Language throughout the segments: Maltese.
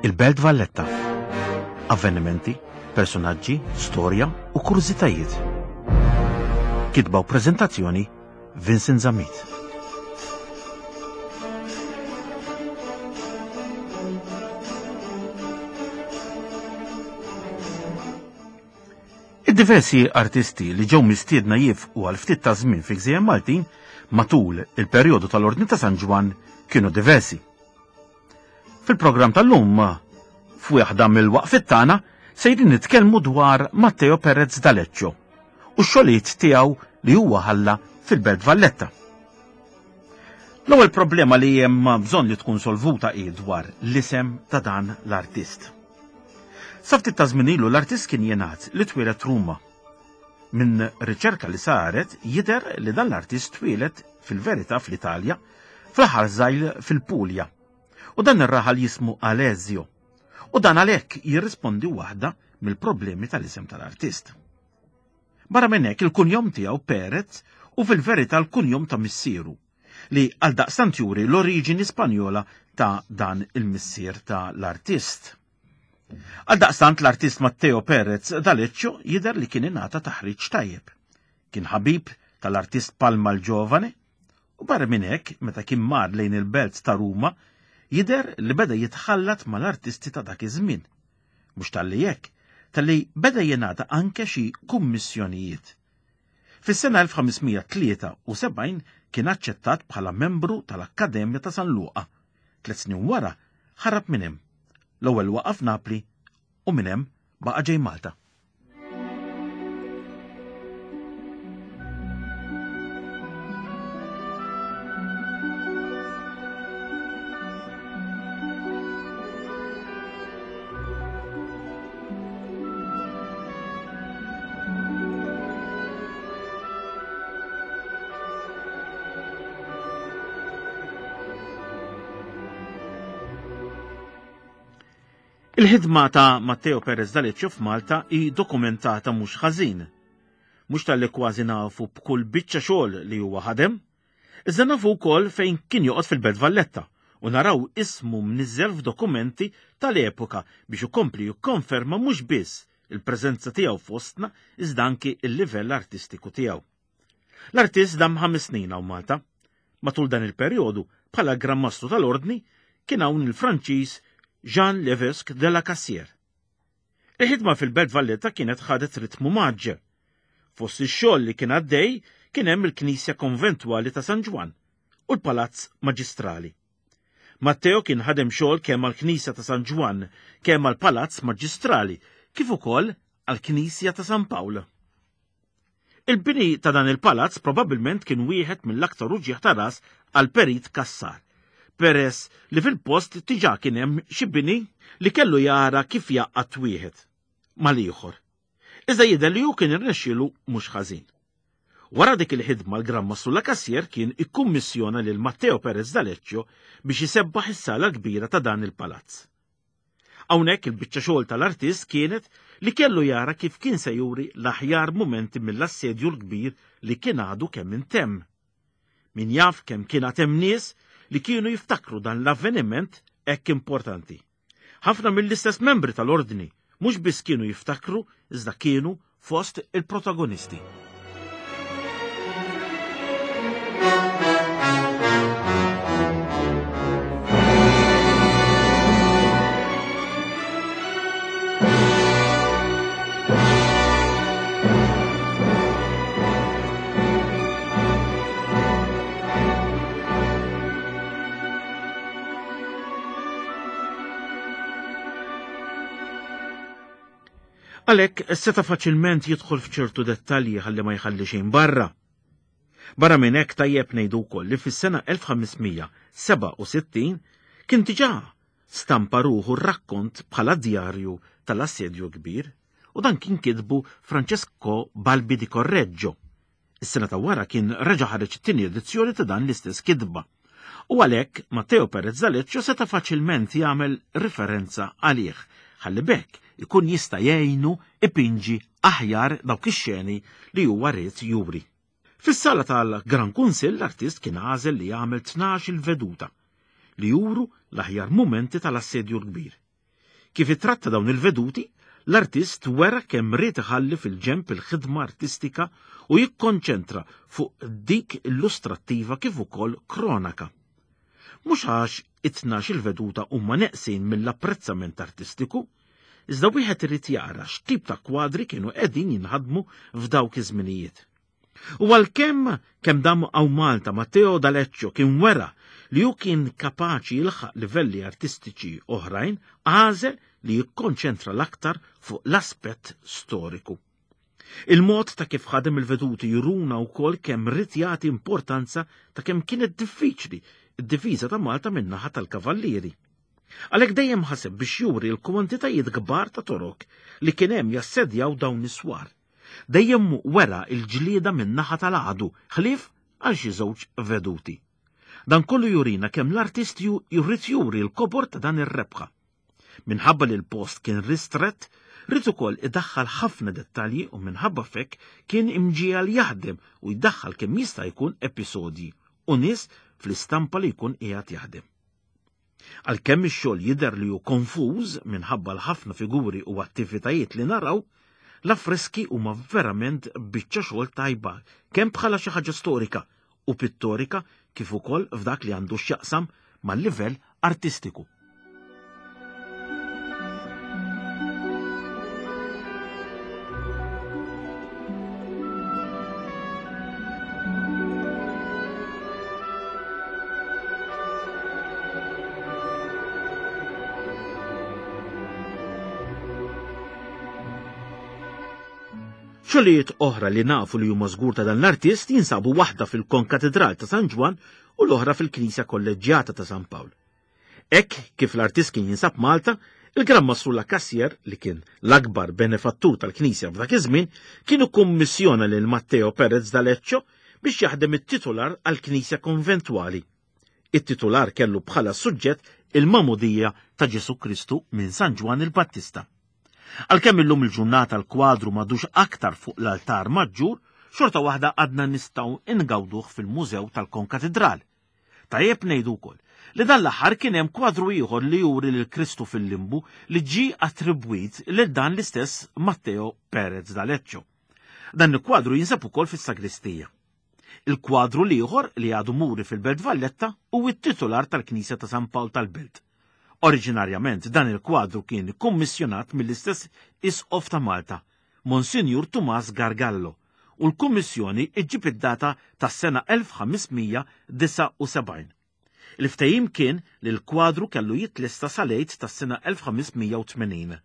Il-Belt Valletta. Avvenimenti, personaġġi, storja u kurżitajiet. Kitba u preżentazzjoni Vincent Zammit. Id-diversi artisti li ġew mistiedna jifqu għal ftit ta' żmien fi gżejjer Maltin matul il-perjodu tal-Ordni ta' San Ġwann kienu diversi. Fil-programm tal-lum, f'wieħda mill-waqfiet tagħna, sejrin nitkellmu dwar Matteo Perez D'Aleccio u x-xogħlijiet tiegħu li huwa ħalla fil-Belt Valletta. L-ewwel problema li hemm bżonn li tkun solvuta hi dwar l-isem ta' dan l-artist. Sa ftit ta' żmien ilu l-artist kien jingħad li twieled Ruma. Minn riċerka li saret jidher li dan l-artist twieled fil-verità fl-Italja, fl-aħħar żgħil fil-Puglia. U dan ir-raħal jismu Alesio. U dan għalhekk jirrispondi waħda mill-problemi tal-isem tal-artist. Barra minn hekk il-kunjom tiegħu Perez u fil-verità l-kunjom ta' missieru li għaldaqstant juri l-oriġini Spanjola ta' dan il-missier ta' l-artist. Għaldaqstant l-artist Matteo Perez D'Aleccio jidher li kien ingħata taħriġ tajjeb. Kien ħabib tal-artist Palma l-Ġovane u barra minn hekk meta kien mar lejn il-belt ta' Ruma jidher li beda jitħallat mal-artisti ta' dak iż-żmien. Mhux talli hekk, talli beda jingħata anke xi kummissjonijiet. Fis-sena 1573 kien aċċettat bħala membru tal-Akkademja ta' San Luqa. Tlet snin wara ħarab minn hemm. L-ewwel waqa' f'Napli u minn hemm baqa' ġej Malta. Il-ħidma ta' Matteo Perez D'Aleccio f'Malta hi dokumentata mhux ħażin. Mhux talli kważi nafu b'kull biċċa xogħol li huwa ħadem, iżda nafu wkoll fejn kien joqgħod fil-Belt Valletta u naraw ismu mniżżel f'dokumenti tal-epoka biex ikompli jikkonferma mhux biss il-preżenza tiegħu fostna iżda anki l-livell artistiku tiegħu. L-artist dam ħames snin hawn Malta. Matul dan il-perjodu, bħala Gran Mastru tal-Ordni, kien hawn il-Franċiż Jean Levesque de la Cassière. Il-ħidma fil-Belt Valletta kienet ħadet ritmu mgħaġġel. Fost ix-xogħol li kien għaddej kien hemm il-Knisja Konventwali ta' San Ġwann u l-Palazz Maġistrali. Matteo kien ħadem xogħol kemm għall-Knisja ta' San Ġwann, kemm għall-Palazz Maġistrali, kif ukoll għall-Knisja ta' San Pawl. Il-bini ta' dan il-palazz probabbilment kien wieħed mill-aktar uġigħ ta' ras għal Perit Cassar, peress li fil-post diġà kien hemm xi bini li kellu jara kif jgħaqqad wieħed mal-ieħor. Iżda jidher li hu kien irnexxielu mhux ħażin. Wara dik il-ħidma l-Gran Mastru Lacassière kien ikkummissjona lil Matteo Perez d'Aleccio biex isebbaħ is-sala l-kbira ta' dan il-palazz. Hawnhekk il-biċċa xogħol tal-artist kienet li kellu jara kif kien se juri l-aħjar mumenti mill-assedju l-kbir li kien għadu kemm intemm. Min jaf kemm kien għad hemm nies li kienu jiftakru dan l-avveniment hekk importanti. Ħafna mill-istess membri tal-Ordni mhux biss kienu jiftakru iżda kienu fost il-protagonisti. Għalhekk seta' faċilment jidħol f'ċertu dettalji ħalli ma jħalli xejn barra. Barra minn hekk tajjeb ngħidu wkoll li fis-sena 1567 kien diġà stampa ruħu r-rakkont bħala djarju tal-Assedju Kbir u dan kien kitbu Francesco Balbi di Correggio. Is-sena ta' wara kien reġa' ħareġ it-tieni edizzjoni ta' dan l-istess kitba. U għalhekk Matteo Perez D'Aleccio seta' faċilment jagħmel riferenza għalih, ħalli b'hekk ikun jista' jgħinu ipinġi aħjar dawk ix-xeni li huwa ried juri. Fis-sala tal-Gran Kunsill l-artist kien għażel li jagħmel tnax-il veduta li juru l-aħjar mumenti tal-Assedju l-Kbir. Kif ittratta dawn il-veduti, l-artist wera kemm ried iħalli fil-ġenb il-ħidma artistika u jikkonċentra fuq dik illustrattiva kif ukoll kronaka. Mhux għax it-tnax-il veduta huma neqsin mill-apprezzament artistiku, iżda wieħed irid jara x'tip ta' kwadri kienu qegħdin jinħadmu f'dawk iż-żminijiet. U għalkemm kemm dam hawn Malta Matteo D'Aleccio kien wera li hu kien kapaċi jilħaq livelli artistiċi oħrajn, għażel li jikkonċentra l-aktar fuq l-aspett storiku. Il-mod ta' kif ħadem il-veduti juruna wkoll kemm ried jagħti importanza ta' kemm kienet diffiċli d-difiża ta' Malta min-naħa tal-Kavallieri. Għalhekk dejjem ħaseb biex juri l-kwantitajiet kbar ta' Torok li kien hemm jassedjaw dawn is-swar. Dejjem wera l-ġlieda min-naħa tal-għadu, ħlief għal xi żewġ veduti. Dan kollu jurina kemm l-artist jrid juri l-kobor ta' dan ir-rebħa. Minħabba li l-post kien ristrett, ried ukoll idaħħal ħafna dettalji u minħabba f'hekk kien imġiegħel jaħdem u jdaħħal kemm jista' jkun episodji u nies fl-istampa li jkun qiegħed jaħdem. Għalkemm ix-xogħol jidher li hu konfuż minħabba l-ħafna figuri u attivitajiet li naraw, l-affreski huma verament biċċa xogħol tajba kemm bħala xi ħaġa storika u pittorika kif ukoll f'dak li għandu x'jaqsam mal-livell artistiku. Xogħlijiet oħra li nafu li huma żgur ta' dan l-artist jinsabu waħda fil-Konkatedral ta' San Ġwann u l-oħra fil-Knisja Kolleġġjata ta' San Pawl. Hekk kif l-artist kien jinsab Malta, il-Gran Mastru Lacassier, li kien l-akbar benefattur tal-Knisja f'dak iż-żmien, kien ikkummissjona lil Matteo Perez d'Aleccio biex jaħdem it-titular għall-Knisja Konventwali. It-titular kellu bħala suġġett il-Magħmudija ta' Ġesù Kristu minn San Ġwann il-Battista. Għalkemm illum il-ġurnata l-kwadru m'għadux aktar fuq l-altar maġġur, xorta waħda għadna nistgħu ingawduh fil-Mużew tal-Konkatidral. Tajjeb ngħidu wkoll li dan l-aħħar kien hemm kwadru ieħor li juri lil Kristu fil-limbu li ġie attribwit lil dan l-istess Matteo Perez d'Aleccio. Dan il-kwadru jinsab ukoll fis-sagristija. Il-kwadru l-ieħor li għadu muri fil-Belt Valletta hu t-titular tal-Knisja ta' San Pawl tal-Belt. Oriġinarjament dan il-kwadru kien kummissjonat mill-istess Isqof ta' Malta, Monsinjur Tumas Gargallo, u l-kummissjoni ġġib id-data tas-sena 1579. Il-ftehim kien li l-kwadru kellu jitlesta sal-Għid tas-sena 1580.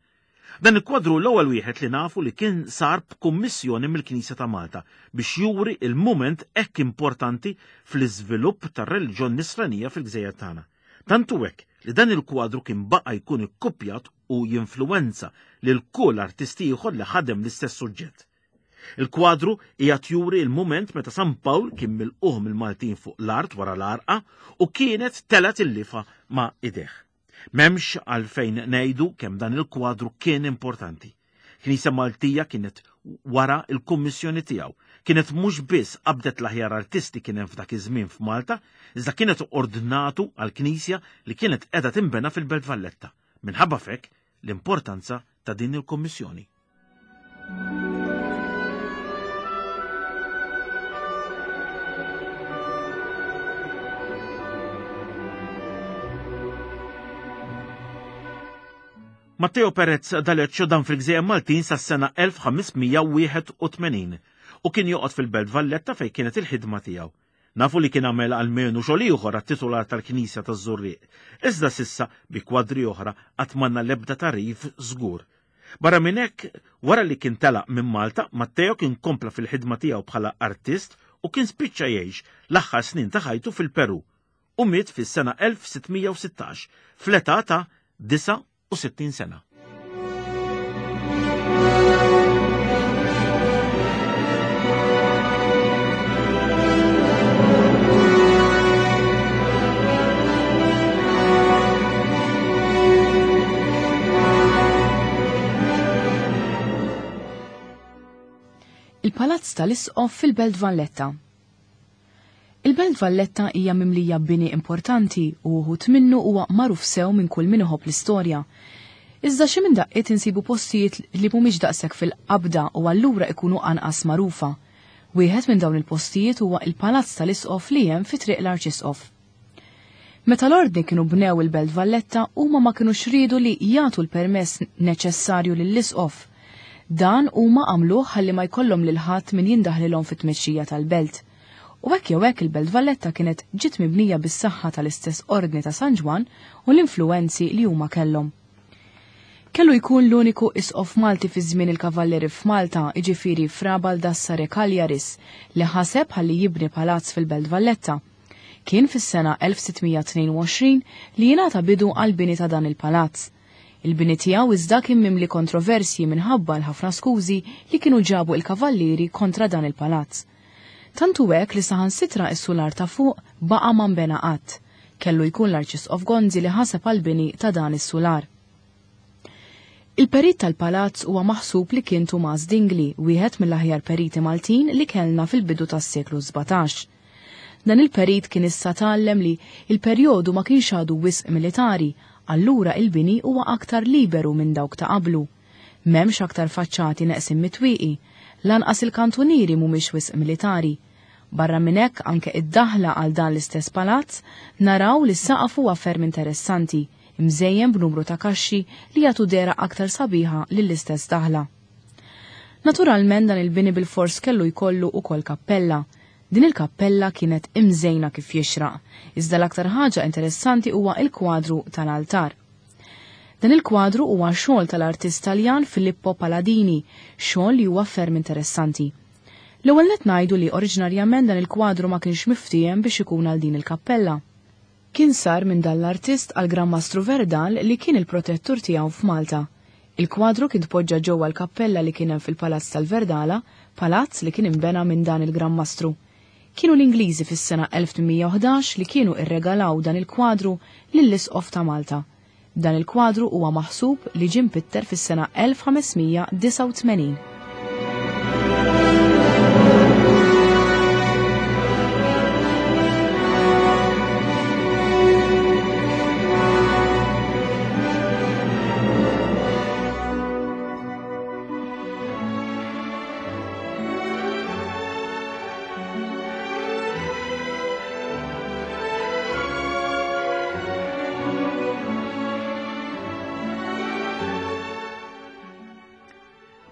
Dan il-kwadru l-ewwel wieħed li nafu li kien sar b'kummissjoni mill-Knisja ta' Malta biex juri l-mument hekk importanti fl-iżvilupp tar-reliġjon Nisranija fil-gżejjer tagħna. Tant hu hekk li dan il-kwadru kien baqa' jkun ikkupjat u jinfluwenza lil kull artist ieħor li ħadem l-istess suġġett. Il-kwadru qiegħed juri l-mument meta San Pawl kien milqugħ mill-Maltin fuq l-art wara l-għarqa u kienet telgħet il-lifa ma' idejh. M'hemmx għalfejn ngħidu kemm dan il-kwadru kien importanti. Knisja Maltija kienet wara l-kummissjoni tiegħu. Kienet mhux biss qabdet l-aħjar artisti kien hemm f'dak iż-żmien f'Malta, iżda kienet ordnatu għall-knisja li kienet qiegħda tinbena fil-Belt Valletta. Minħabba f'hekk l-importanza ta' din il-kummissjoni. Matteo Perez D'Aleccio dan fil-Gżejjer Maltin sas-sena 1581 u kien joqgħod fil-Belt Valletta fejn kienet il-ħidma tiegħu. Nafu li kien għamel almenu xogħol ieħor għat-titular tal-Knisja taż-Żurrieq, iżda s'issa bi kwadri oħra qatt m'għandna l-ebda tagħrif żgur. Barra minn hekk, wara li kien telaq minn Malta, Matteo kien kompla fil-ħidma tiegħu bħala artist u kien spiċċa jgħix l-aħħar snin ta' ħajtu fil-Perù u miet fis-sena 1616 fl-età ta' 69 sena. Il-Palazz tal-Isqof fil-Belt Valletta. Il-Belt Valletta hija mimlija bini importanti u uħud minnu huwa magħruf sew minn kull min iħobb l-istorja. Iżda xi minn daqqiet insibu postijiet li mhumiex daqshekk fil-qabda u allura ikunu anqas magħrufa. Wieħed minn dawn il-postijiet huwa il-Palazz tal-Isqof li hemm fi Triq l-Arċisqof. Meta l-Ordni kienu bnew il-Belt Valletta huma ma kinux riedu li jagħtu l-permess neċessarju lill-Isqof. Dan huma għamluh ħalli ma jkollhom lil ħadd min jindaħlilhom fit-tmexxija tal-belt. U hekk jew hekk il-Belt Valletta kienet ġiet mibnija bis-saħħa tal-istess Ordni ta' San Ġwann u l-influwenzi li huma kellhom. Kellu jkun l-uniku isqof Malti fi żmien il-Kavallieri f'Malta, jiġifieri Fra Baldassare Cagliaris, li ħaseb ħalli jibni palazz fil-Belt Valletta. Kien fis-sena 1622 li jingħata bidu għall-bini ta' dan il-palazz. Il-bini tiegħu iżda kien mimli kontroversji minħabba l-ħafna skużi li kienu ġabu il-Kavallieri kontra dan il-palazz. Tant hu hekk li saħansitra s-sular ta' fuq baqa' ma nbena qatt. Kellu jkun l-Arċisqof Gonzi li ħaseb għall-bini ta' dan is-sular. Il-perit tal-palazz huwa maħsub li kien Tumas Dingli, wieħed mill-aħjar periti Maltin li kellna fil-bidu tas-seklu 17. Dan il-perit kien issa tgħallem li il-perjodu ma kienx għadu wisq militari, allura il-bini huwa aktar liberu minn dawk ta' qablu. M'hemmx aktar faċċati neqsin mit-twieqi, lanqas il-kantunieri mhumiex wisq militari. Barra minn hekk anke id-daħla għal dan l-istess palazz naraw li s-saqaf huwa ferm interessanti, imżejjen b'numru ta' kaxxi li jagħtu dehra aktar sabiħa lill-istess daħla. Naturalment dan il-bini bilfors kellu jkollu ukoll kappella. Din il-kappella kienet imżejna kif jixraq, iżda l-aktar ħaġa interessanti huwa il-kwadru tal-altar. Dan il-kwadru huwa xogħol tal-artist Taljan Filippo Paladini, xogħol li huwa ferm interessanti. L-ewwel nett ngħidu li oriġinarjament dan il-kwadru ma kienx miftiehem biex ikun għal din il-kappella. Kien sar minn dan l-artist għal Gran Mastru Verdal li kien il-protettur tiegħu f'Malta. Il-kwadru kien tpoġġa ġewwa l-kappella li kien hemm fil-Palazz tal-Verdala, palazz li kien inbena minn dan il-Gran Mastru. Kienu l-Ingliżi fis-sena 1811 li kienu irregalaw dan il-kwadru lill-Isqof ta' Malta. Dan il-kwadru huwa maħsub li ġie mpitter fis-sena 1589.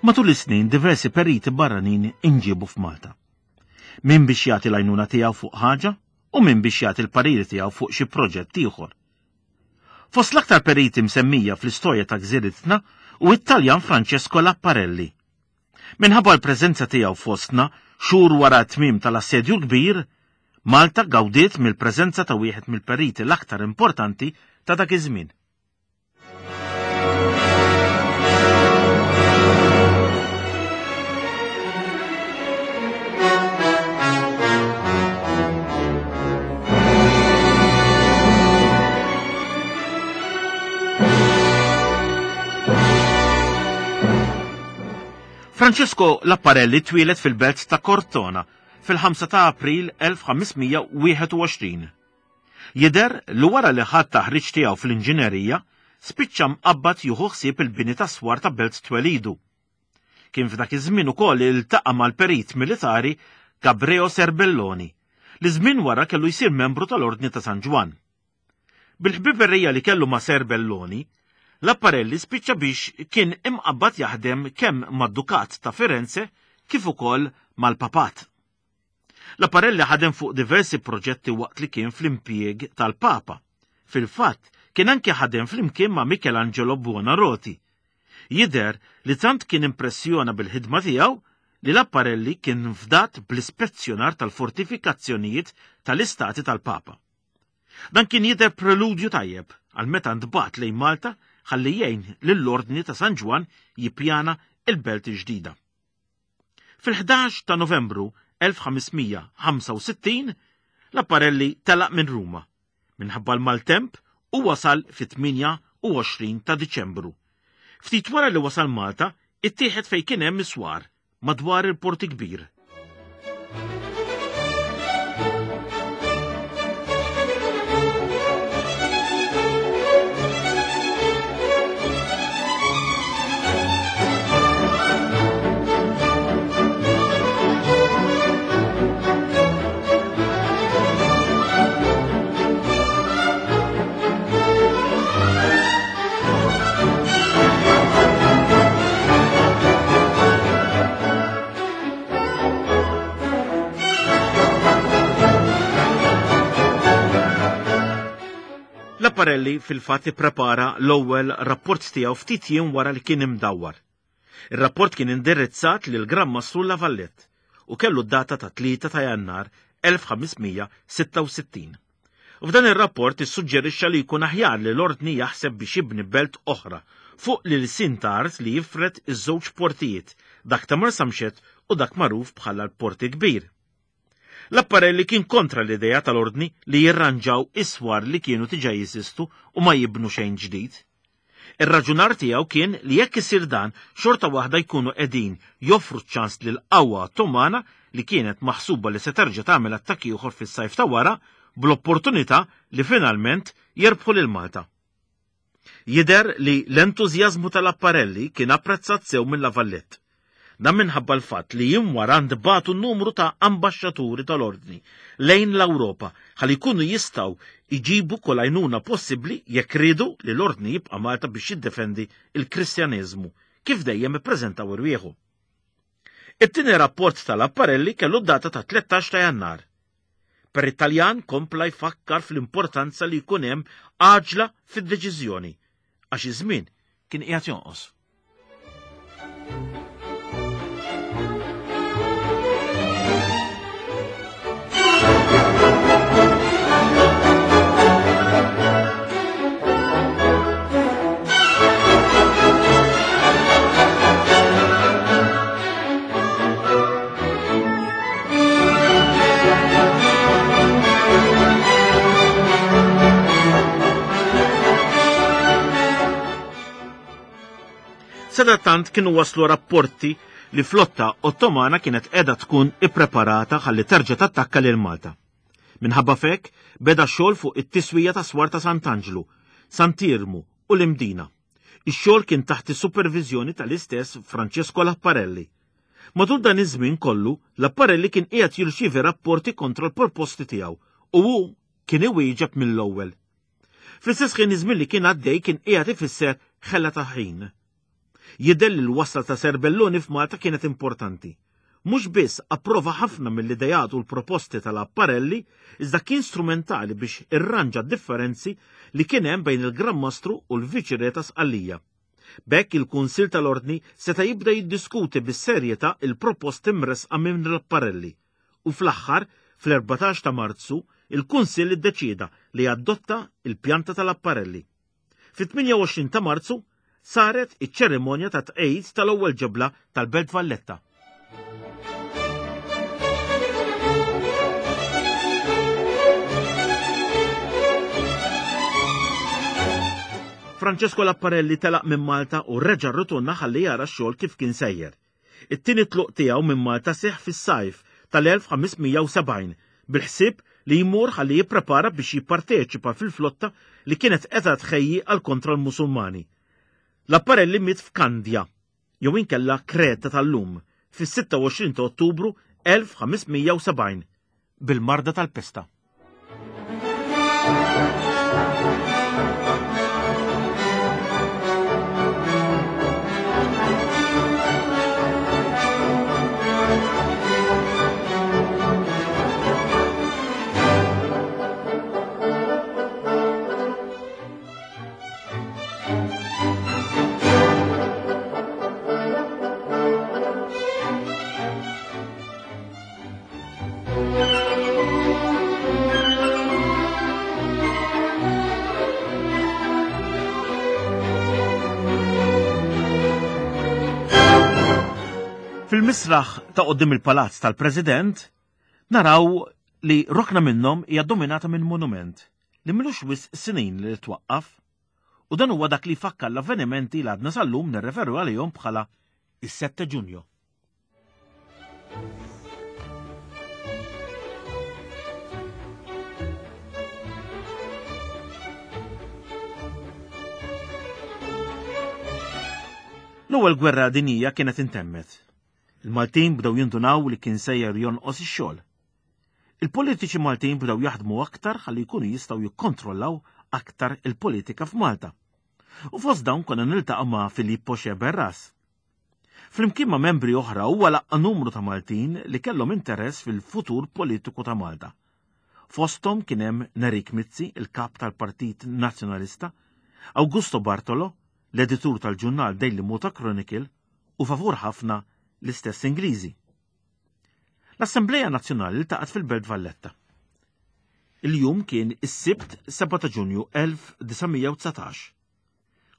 Matul is-snin diversi periti barranin inġiebu f'Malta. Min biex jagħti l-għajnuna tiegħu fuq ħaġa u min biex jagħti l-pariri tiegħu fuq xi proġett ieħor. Fost l-aktar periti msemmija fl-istorja ta' gżiritna hu it-Taljan Francesco Lapparelli. Minħabba l-preżenza tiegħu fostna xhur wara t-tmiem tal-Assedju l-Kbir, Malta gawdiet mill-preżenza ta' wieħed mill-periti l-aktar importanti ta' dak iż-żmien. Francesco Lapparelli twieled fil-belt ta' Cortona fil-5 ta' April 1521. Jidher li wara li ħa t-taħriġ tiegħu fl-inġinerija, spiċċa mqabbad jieħu ħsieb il-bini tas-swar ta' belt twelidu. Kien f'dak iż-żmien ukoll li ltaqa' mal-perit militari Gabreo Serbelloni, li żmien wara kellu jsir membru tal-Ordni ta' San Ġwann. Bil-ħbiberija li kellu ma' Serbelloni, Lapparelli spiċċa biex kien imqabbad jaħdem kemm mad-Dukat ta' Firenze kif ukoll mal-Papat. Lapparelli ħadem fuq diversi proġetti waqt li kien fl-impjieg tal-Papa. Fil-fatt, kien anki ħadem flimkien ma' Michelangelo Buonarroti. Jidher li tant kien impressjona bil-ħidma tiegħu li Lapparelli kien fdat bl-ispezzjonar tal-fortifikazzjonijiet tal-istati tal-Papa. Dan kien jidher preludju tajjeb għal meta ntbagħat lejn Malta ħalli jgħin lill-Ordni ta' San Ġwann jippjana il-belt il-ġdida. Fil-11 ta' Novembru 1565 Lapparelli telaq minn Ruma minħabba l-maltemp u wasal fit-28 ta' Diċembru. Ftit wara li wasal Malta, ittieħed fejn kien hemm is-swar madwar il-Port Kbir. Laparelli fil-fatt ipprepara l-ewwel rapport tiegħu ftit jiem wara li kien imdawwar. Ir-rapport kien indirizzat lil Gran Mastru La Vallette u kellu d-data ta' 3 ta' Jannar 1566. F'dan ir-rapport issuġġerixxa li jkun aħjar li l-Ordni jaħseb biex jibni belt oħra fuq l-ilsien ta' art li jifred iż-żewġ portijiet, dak ta' Marsamxett u dak magħruf bħala l-Port il-Kbir. Laparelli kien kontra l-idea tal-Ordni li jirranġaw is-swar li kienu diġà jeżistu u ma jibnu xejn ġdid. Ir-raġunar tiegħu kien li jekk isir dan, xorta waħda jkunu qegħdin joffru ċ-ċans lill-qawwa Ottomana li kienet maħsuba li se terġa' tagħmel attakk ieħor fis-sajf ta' wara bl-opportunità li finalment jerbħu lil Malta. Jidher li l-entużjażmu ta' Laparelli kien apprezzat sew minn La Vallette. Dan minħabba l-fatt li jiem wara ntbagħtu numru ta' ambaxxaturi tal-Ordni lejn l-Ewropa ħalli jkunu jistgħu jġibu kull għajnuna possibbli jekk riedu li l-Ordni jibqa' Malta biex jiddefendi l-Kristjaneżmu kif dejjem ippreżentaw irwieħu. It-tieni rapport tal-Apparelli kellu d-data ta' 13 ta' Jannar. Per it-Taljan kompla jfakkar fl-importanza li jkun hemm għaġla fid-deċiżjoni għax iż-żmien kien qiegħed jonqos. Sadattant kienu waslu rapporti li flotta Ottomana kienet qiegħda tkun ippreparata ħalli terġa' tattakka lil Malta. Minħabba f'hekk beda xogħol fuq it-tiswija ta' swar ta' Sant'Anġlu, Sant'Iermu u l-Imdina. Ix-xogħol kien taħt is-superviżjoni tal-istess Francesco Lapparelli. Matul dan iż-żmien kollu, Lapparelli kien qiegħed jirċievi rapporti kontra l-proposti tiegħu u hu kien iwieġeb mill-ewwel. Fl-istess ħin iż-żmien li kien għaddej kien qiegħed ifisser ħela ta' ħin. Jidher li l-wasla ta' Serbelloni f'Malta kienet importanti. Mhux biss approva ħafna mill-ideat u l-proposti ta' Lapparelli, iżda kien strumentali biex irranġa d-differenzi li kien hemm bejn il-Gran Mastru u l-Viċi Re ta' Sqallija. B'hekk il-Kunsill tal-Ordni seta' jibda jiddiskuti bis-serjetà il-proposti mressqa minn Lapparelli u fl-aħħar, fl-14 ta' Marzu, il-Kunsill iddeċieda li jaddotta il-pjanta ta' Lapparelli. Fit-28 ta' Marzu saret iċ-ċerimonja ta' tqegħid tal-ewwel ġebla tal-Belt Valletta. Francesco Lapparelli telaq minn Malta u reġa' rritorna ħalli jara x-xogħol kif kien sejjer. It-tieni tluq tiegħu minn Malta seħħ fis-sajf tal-1570 bil-ħsieb li jmur ħalli jipprepara biex jipparteċipa fil-flotta li kienet qiegħda tħejji għal kontra l-Musulmani. Lapparelli miet f'Kandja, jew inkella Kreta tal-lum, fis-26 ta' Ottubru 1570 bil-marda tal-pesta. Fil-misraħ ta' qoddim il-palazz tal-President naraw li rokna minnhom hija dominata minn monument li milux wisq snin li twaqqaf u dan huwa dak li jfakkar l-avvenimenti li għadna sal-lum nirreferu għalihom bħala is-7 Ġunju. L-ewwel gwerra dinjija kienet intemmet. Il-Maltin bdew jindunaw li kien sejjer jonqos ix-xogħol. Il-politiċi Maltin bdew jaħdmu aktar ħalli jkunu jistgħu jikkontrollaw aktar il-politika f'Malta. U fost dawn konna niltaqgħu ma' Filippo Sceberras. Flimkien ma' membri oħra huwa laqqa' numru ta' Maltin li kellhom interess fil-futur politiku ta' Malta. Fosthom kien hemm Nerik Mizzi, il-kap tal-Partit Nazzjonalista, Augusto Bartolo, l-editur tal-ġurnal Daily Malta Chronicle u favur ħafna l-istess Ingliżi. L-Assembleja Nazzjonali ltaqgħet fil-Belt Valletta. Il-jum kien is-Sibt 7 ta' Ġunju 1919.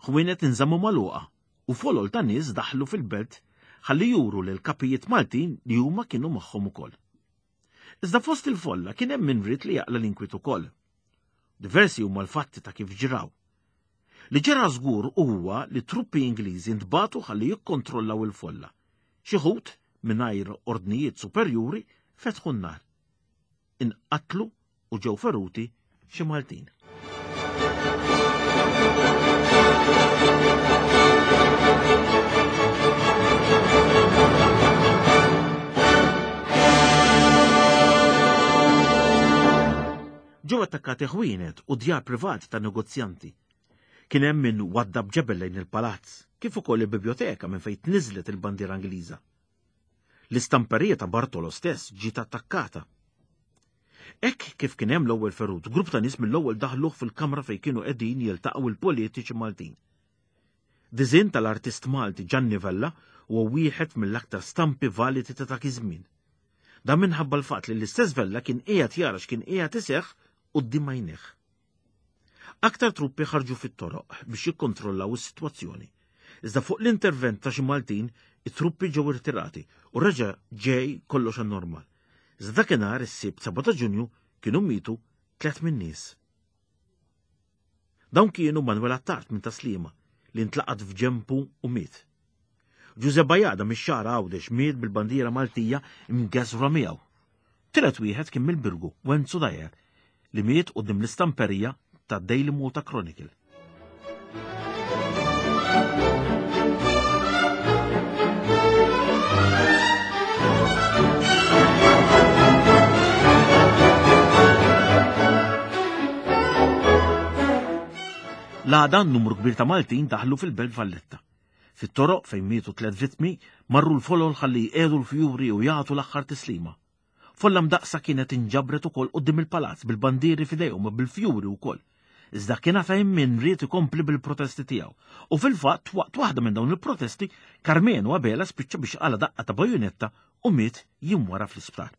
Ħwienet inżammu magħluqa u folol ta' nies daħlu fil-belt ħalli juru lil kapijiet Maltin li huma kienu magħhom ukoll. Iżda fost il-folla kien hemm min ried li jaqla l-inkwiet ukoll. Diversi huma l-fatti ta' kif ġraw. Li ġara żgur huwa li truppi Ingliżi ntbagħtu ħalli jikkontrollaw il-folla. Xi ħut, mingħajr ordnijiet superjuri, fetħu n-nar. Inqatlu u ġew feruti xi Maltin. Ġew attakkati ħwienet u djar privati ta' negozjanti. Kien hemm min waddab ġebel lejn il-palazz, kif ukoll il-bibjoteka minn fejn tniżlet il-bandiera Ingliża. L-istamperija ta' Bartolo stess ġiet attakkata. Hekk kif kien hemm l-ewwel ferut, grupp ta' nies mill-ewwel daħluh fil-kamra fejn kienu qegħdin jiltaqgħu il-politiċi Maltin. Diżinn tal-artist Malti Gianni Vella huwa wieħed mill-aktar stampi validi ta' dak iż-żmien. Dan minħabba l-fatt li l-istess Vella kien qiegħed jara x'kien qiegħed iseħħ quddiem għajnejh. Aktar truppi ħarġu fit-toroq biex jikkontrollaw is-sitwazzjoni. Iżda fuq l-intervent ta' xi Maltin, it-truppi ġew irtirati u reġa' ġej kollox għan-normal. Iżda dakinhar is-Sibt 7 ta' Ġunju kienu mietu tliet min-nies. Dawn kienu Manuel Attard minn Tas-Sliema li ntlaqat f'ġenbu u miet. Ġuże Bajada mix-Xagħra Għawdex miet bil-bandiera Maltija mgeżwra miegħu. Tielet wieħed kien mill-Birgu, Wenzu Dajer, li miet quddiem l-istamperija ta' Daily Malta Chronicle. L-għada numru kbir ta' Maltin daħlu fil-Belt Valletta. Fit-toroq fejn mietu tliet vittmi, marru l-folol ħalli jqiegħdu l-fjuri u jagħtu l-aħħar tislima. Folla mdaqqsa kienet inġabret ukoll quddiem il-palazz bil-bandieri f'idejhom u bil-fjuri wkoll. Iżda kien għad hemm min ried ikompli bil-protesti tiegħu. U fil-fatt waqt waħda minn dawn il-protesti, Karmenu Abela spiċċa biex qala' daqqa ta' bajunetta u miet jiem wara fl-isptar.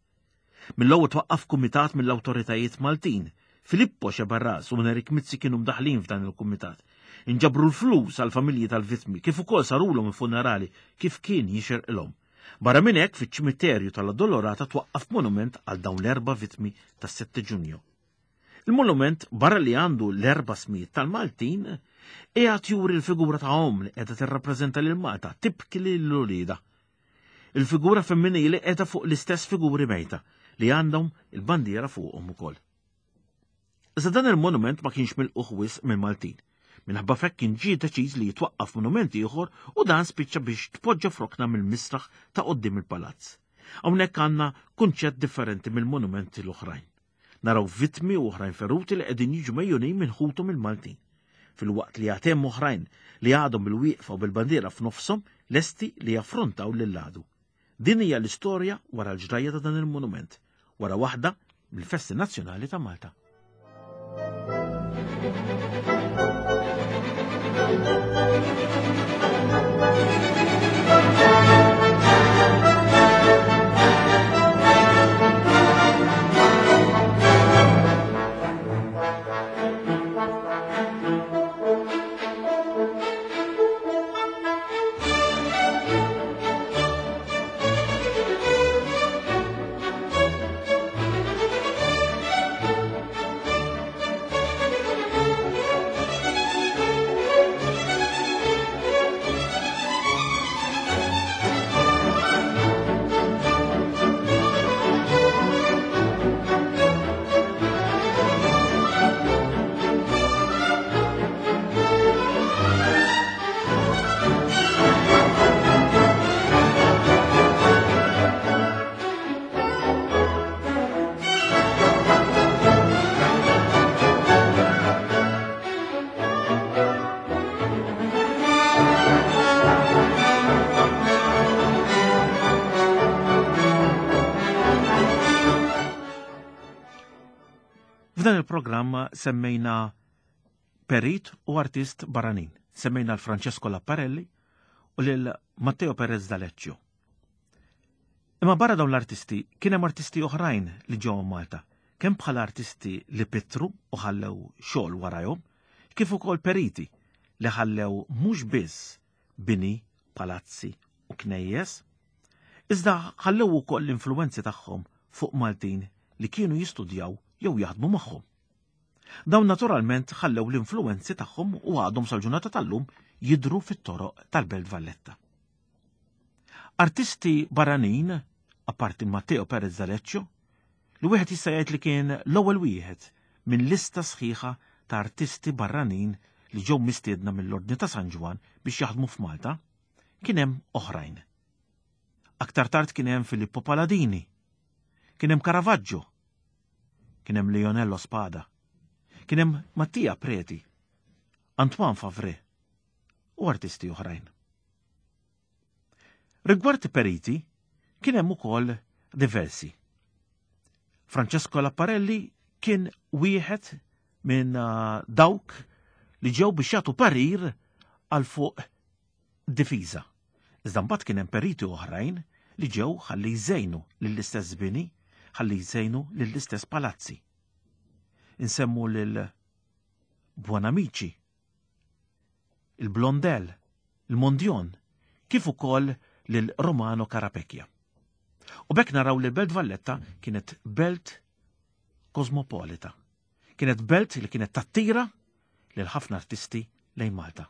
Mill-ewwel twaqqaf kumitat mill-awtoritajiet Maltin. Filippo Sceberras u Nerik Mizzi kienu mdaħħlin f'dan il-kumitat. Inġabru l-flus għall-familji tal-vittmi kif ukoll sarulhom il-funerali kif kien jixirqilhom. Barra minn hekk fiċ-ċimiterju tal-Addolorata twaqqaf monument għal dawn l-erba' vittmi tas-7 Ġunju. Il-monument barra li għandu l-erba' smijiet tal-Maltin, qiegħed juri l-figura ta' omm li qiegħda tirrappreżenta lil Malta, tibki lil uliedha. Il-figura femminili qiegħda fuq l-istess figuri mejta li għandhom il-bandiera fuqhom ukoll. Iżda dan il-monument ma kienx milqugħ wisq mill-Maltin. Minħabba f'hekk kien ġie deċiż li jitwaqqaf monument ieħor u dan spiċċa biex tpoġġa f'rokna mill-misraħ ta' quddiem il-palazz. Hawnhekk għandna kunċett differenti mill-monumenti l-oħrajn. Naraw vittmi u oħrajn feruti li qegħdin jiġu mejjunin minn ħuthom il-Maltin. Filwaqt li għad hemm oħrajn li għadhom bil-wieqfa u bil-bandiera f'nofshom lesti li jaffrontaw lill-għadu. Din hija l-istorja wara l-ġrajja ta' dan il-monument, wara waħda mill-festi nazzjonali ta' Malta. F'dan il-programm semmejna perit u artist barranin. Semmejna l-Francesco Lapparelli u lil Matteo Perez D'Aleccio. Imma barra dawn l-artisti kien hemm artisti oħrajn li ġew Malta, kemm bħala artisti li pittru u ħallew xogħol warajhom, kif ukoll periti li ħallew mhux biss bini, palazzi u knejjes, iżda ħallew ukoll l-influwenzi tagħhom fuq Maltin li kienu jistudjaw jew jaħdmu magħhom. Dawn naturalment ħallew l-influwenzi tagħhom u għadhom sal-ġurnata tal-lum jidhru fit-toroq tal-Belt Valletta. Artisti barranin, apparti Matteo Perez D'Aleccio, li wieħed jista' jgħid li kien l-ewwel wieħed minn lista sħiħa ta' artisti barranin li ġew mistiedna mill-Ordni ta' San Ġwann biex jaħdmu f'Malta, kien hemm oħrajn. Aktar tard kien hemm Filippo Paladini, kien hemm Caravaggio, kien hemm Lionello Spada, kien hemm Mattia Preti, Antoine Favre u artisti oħrajn. Rigward periti, kien hemm ukoll diversi. Francesco Lapparelli kien wieħed minn uh, dawk li ġew biex jagħtu parir għal fuq difiża. Iżda mbagħad kien hemm periti oħrajn li ġew ħalli jżejnu lill-istess bini, ħalli jżejnu lill-istess palazzi. Insemmu lil Buonamici, il-Blondel, il-Mondjon, kif ukoll lil Romano Carapecchia. U bekk naraw li l-Belt Valletta kienet belt kosmopolita. Kienet belt li kienet tattira lil ħafna artisti lejn Malta.